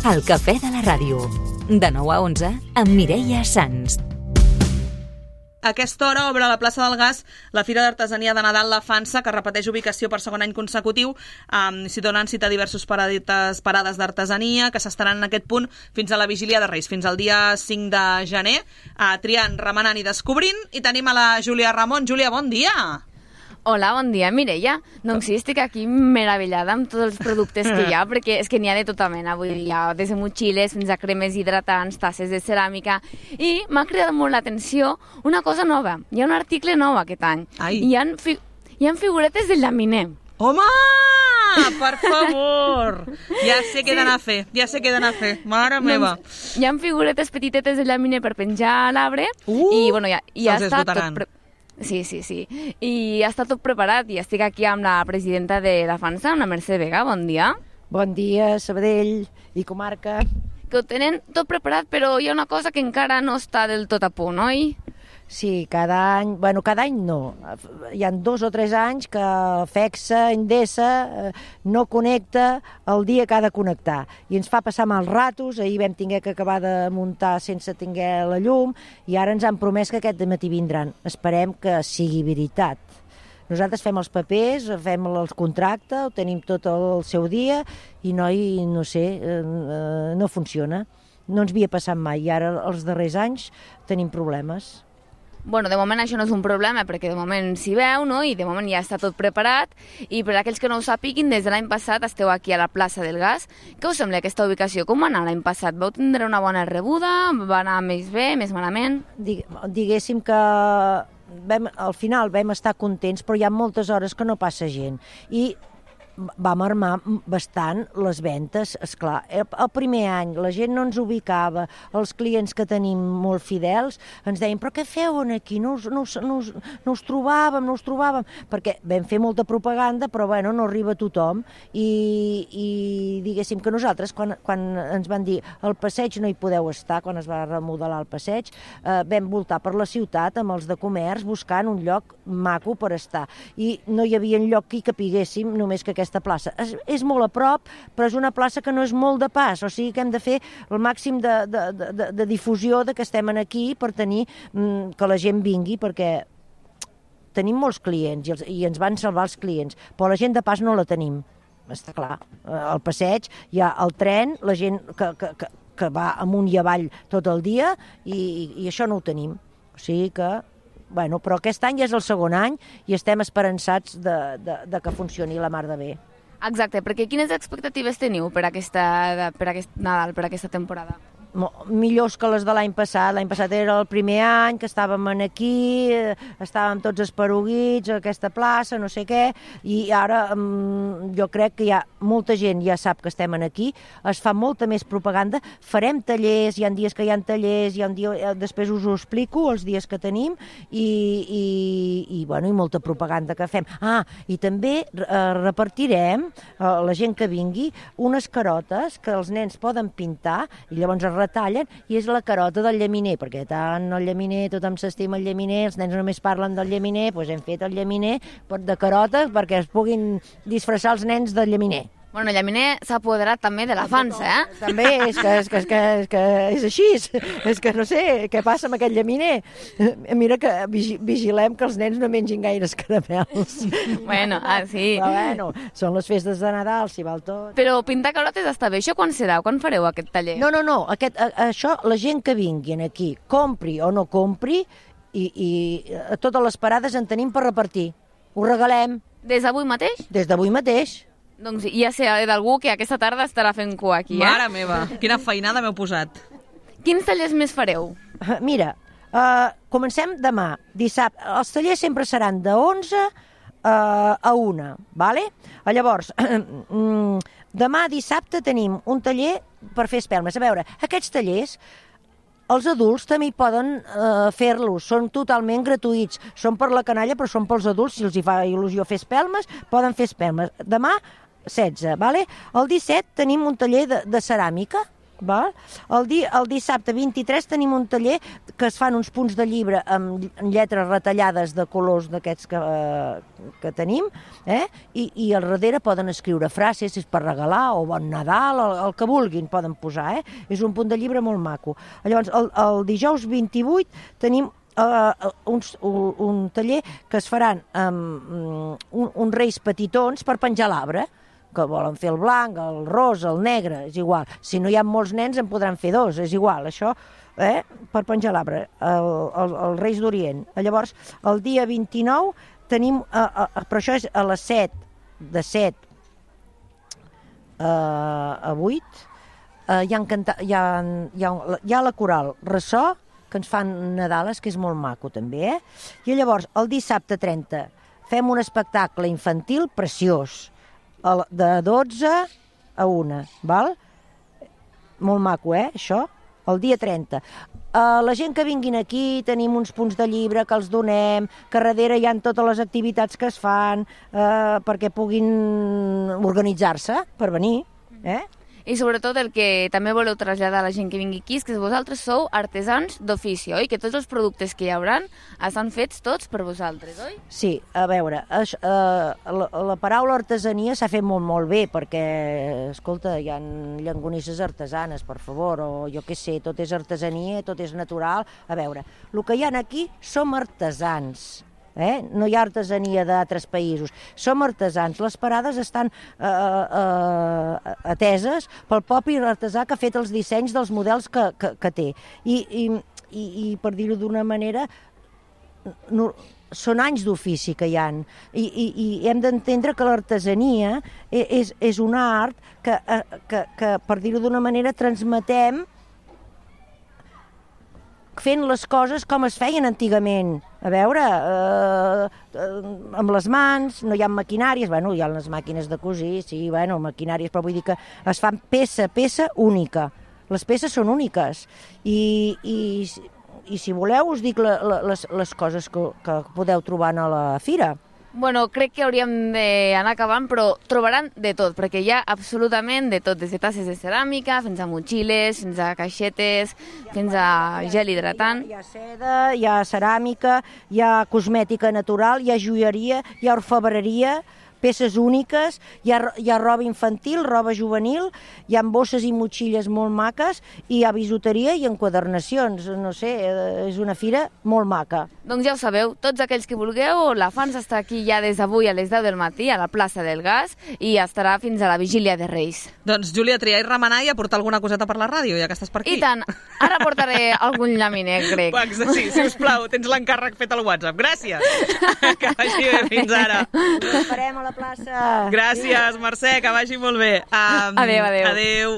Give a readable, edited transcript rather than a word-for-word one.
El cafè de la ràdio. De 9 a 11 amb Mireia Sans. A aquesta hora obre a la plaça del Gas la Fira d'Artesania de Nadal La Fansa, que repeteix ubicació per segon any consecutiu. S'hi donen cita a diversos parades d'artesania que s'estaran en aquest punt fins a la Vigília de Reis, fins al dia 5 de gener, triant, remenant i descobrint. I tenim a la Júlia Ramon. Júlia, bon dia! Hola, bon dia, Mireia. Doncs sí, estic aquí meravellada amb tots els productes que hi ha, perquè és que n'hi ha de tota mena. Vull dir, hi ha des de motxilles fins a cremes hidratants, tasses de ceràmica. I m'ha cridat molt l'atenció una cosa nova. Hi ha un article nou aquest any. Ai. Hi ha figuretes de llaminer. Home! Per favor! Ja sé què he d'anar a fer, Mare meva! Hi ha figuretes petitetes de llaminer per penjar a l'arbre. I, bueno, ja està tot Sí. I ja està tot preparat i estic aquí amb la presidenta de la Fansa, amb la Mercè Vega. Bon dia. Bon dia, Sabadell i comarca. Que ho tenen tot preparat, però hi ha una cosa que encara no està del tot a punt, oi? Sí, cada any no. Hi ha 2 o 3 anys que FECSA, Endesa, no connecta el dia que ha de connectar. I ens fa passar mals ratos. Ahir vam haver que acabar de muntar sense tenir la llum i ara ens han promès que aquest matí vindran. Esperem que sigui veritat. Nosaltres fem els papers, fem el contracte, ho tenim tot el seu dia i no sé, no funciona. No ens havia passat mai i ara els darrers anys tenim problemes. Bueno, de moment això no és un problema, perquè de moment s'hi veu, no? I de moment ja està tot preparat. I per aquells que no ho sàpiguin, des de l'any passat esteu aquí a la plaça del Gas. Què us sembla aquesta ubicació? Com va anar l'any passat? Vau tindre una bona rebuda? Va anar més bé, més malament? Diguéssim que al final vam estar contents, però hi ha moltes hores que no passa gent. I vam armar bastant les ventes, esclar. El primer any la gent no ens ubicava, els clients que tenim molt fidels ens deien, però què feu aquí? No us trobàvem, perquè vam fer molta propaganda, però bueno, no arriba a tothom, i diguéssim que nosaltres, quan ens van dir al passeig no hi podeu estar, quan es va remodelar el passeig, vam voltar per la ciutat amb els de comerç buscant un lloc maco per estar, i no hi havia lloc que hi capiguéssim, només que aquesta plaça. És molt a prop, però és una plaça que no és molt de pas, o sigui que hem de fer el màxim de difusió de que estem aquí per tenir que la gent vingui, perquè tenim molts clients i ens van salvar els clients, però la gent de pas no la tenim, està clar. Al passeig hi ha el tren, la gent que va amunt i avall tot el dia i això no ho tenim, o sigui que bueno, però aquest any ja és el segon any i estem esperançats de que funcioni la mar de bé. Exacte, perquè quines expectatives teniu per aquest Nadal, per aquesta temporada? Millors que les de l'any passat. L'any passat era el primer any que estàvem aquí, estàvem tots esparuguits a aquesta plaça, no sé què, i ara jo crec que molta gent ja sap que estem aquí, es fa molta més propaganda, farem tallers, hi ha dies que hi ha tallers, després us ho explico, els dies que tenim, i molta propaganda que fem. I també repartirem, la gent que vingui, unes carotes que els nens poden pintar, i llavors es retallen, i és la carota del llaminer, perquè tant el llaminer, tothom s'estima el llaminer, els nens només parlen del llaminer, doncs hem fet el llaminer de carota perquè es puguin disfressar els nens del llaminer. Bueno, el llaminer s'ha apoderat també de la Fansa, També, és que és així, és que no sé què passa amb aquest llaminer. Mira que vigilem que els nens no mengin gaires caramels. Bueno, sí. Però bueno, són les festes de Nadal, s'hi val tot. Però pintar carotes està bé, això quan serà? Quan fareu aquest taller? No, això, la gent que vingui aquí, compri o no compri, i a totes les parades en tenim per repartir. Ho regalem. Des d'avui mateix? Des d'avui mateix. Doncs ja sé d'algú que aquesta tarda estarà fent cua aquí, Mare meva, quina feinada m'heu posat. Quins tallers més fareu? Mira, comencem demà, dissabte. Els tallers sempre seran de 11 a 1, vale? Llavors, demà dissabte tenim un taller per fer espelmes. A veure, aquests tallers els adults també hi poden fer-los, són totalment gratuïts, són per la canalla però són pels adults, si els hi fa il·lusió fer espelmes, poden fer espelmes. Demà 16, vale? El 17 tenim un taller de ceràmica, Val? El dissabte 23 tenim un taller que es fan uns punts de llibre amb lletres retallades de colors d'aquests que tenim, i al darrere poden escriure frases, si és per regalar, o Bon Nadal, el que vulguin poden posar. És un punt de llibre molt maco. Llavors, el dijous 28 tenim un taller que es faran amb uns reis petitons per penjar l'arbre, que volen fer el blanc, el rosa, el negre, és igual. Si no hi ha molts nens en podran fer dos, és igual, això, per penjar l'arbre, els Reis d'Orient. Llavors, el dia 29 tenim, però això és a les 7, de 7 a 8, hi ha la coral Ressò, que ens fan Nadales, que és molt maco també, I llavors, el dissabte 30, fem un espectacle infantil preciós, de 12 a 1, val? Molt maco, això? El dia 30. La gent que vinguin aquí, tenim uns punts de llibre que els donem, que darrere hi ha totes les activitats que es fan perquè puguin organitzar-se per venir, I sobretot el que també voleu traslladar a la gent que vingui aquí és que vosaltres sou artesans d'ofici, oi? Que tots els productes que hi haurà estan fets tots per vosaltres, oi? Sí, a veure, la paraula artesania s'ha fet molt bé, perquè, escolta, hi ha llangonisses artesanes, per favor, o jo què sé, tot és artesania, tot és natural. A veure, el que hi ha aquí som artesans. No hi ha artesania d'altres països. Som artesans. Les parades estan ateses pel propi artesà que ha fet els dissenys dels models que té. I per dir-ho d'una manera, són anys d'ofici que hi ha. I hem d'entendre que l'artesania és un art que, per dir-ho d'una manera, transmetem fent les coses com es feien antigament. A veure, amb les mans, no hi ha maquinàries, hi ha les màquines de cosir, sí, maquinàries, però vull dir que es fan peça única. Les peces són úniques. I si voleu us dic les coses que podeu trobar a la fira. Bueno, crec que hauríem d'anar acabant, però trobaran de tot, perquè hi ha absolutament de tot, des de tasses de ceràmica, fins a motxilles, fins a caixetes, fins a gel hidratant. Hi ha seda, hi ha ceràmica, hi ha cosmètica natural, hi ha joieria, hi ha orfebreria, peces úniques, hi ha roba infantil, roba juvenil, hi ha bosses i motxilles molt maques, i hi ha bisuteria i enquadernacions. No sé, és una fira molt maca. Doncs ja ho sabeu, tots aquells que vulgueu, la FANS està aquí ja des d'avui a les 10 del matí a la plaça del Gas i estarà fins a la vigília de Reis. Doncs, Júlia, triar i remenar i aportar alguna coseta per la ràdio, ja que estàs per aquí. I tant, ara portaré algun llaminet grec. Sí, sisplau, tens l'encàrrec fet al WhatsApp. Gràcies. Que vagi bé, fins ara. Ens esperem a la plaça. Gràcies, Mercè, que vagi molt bé. Adéu. Adéu.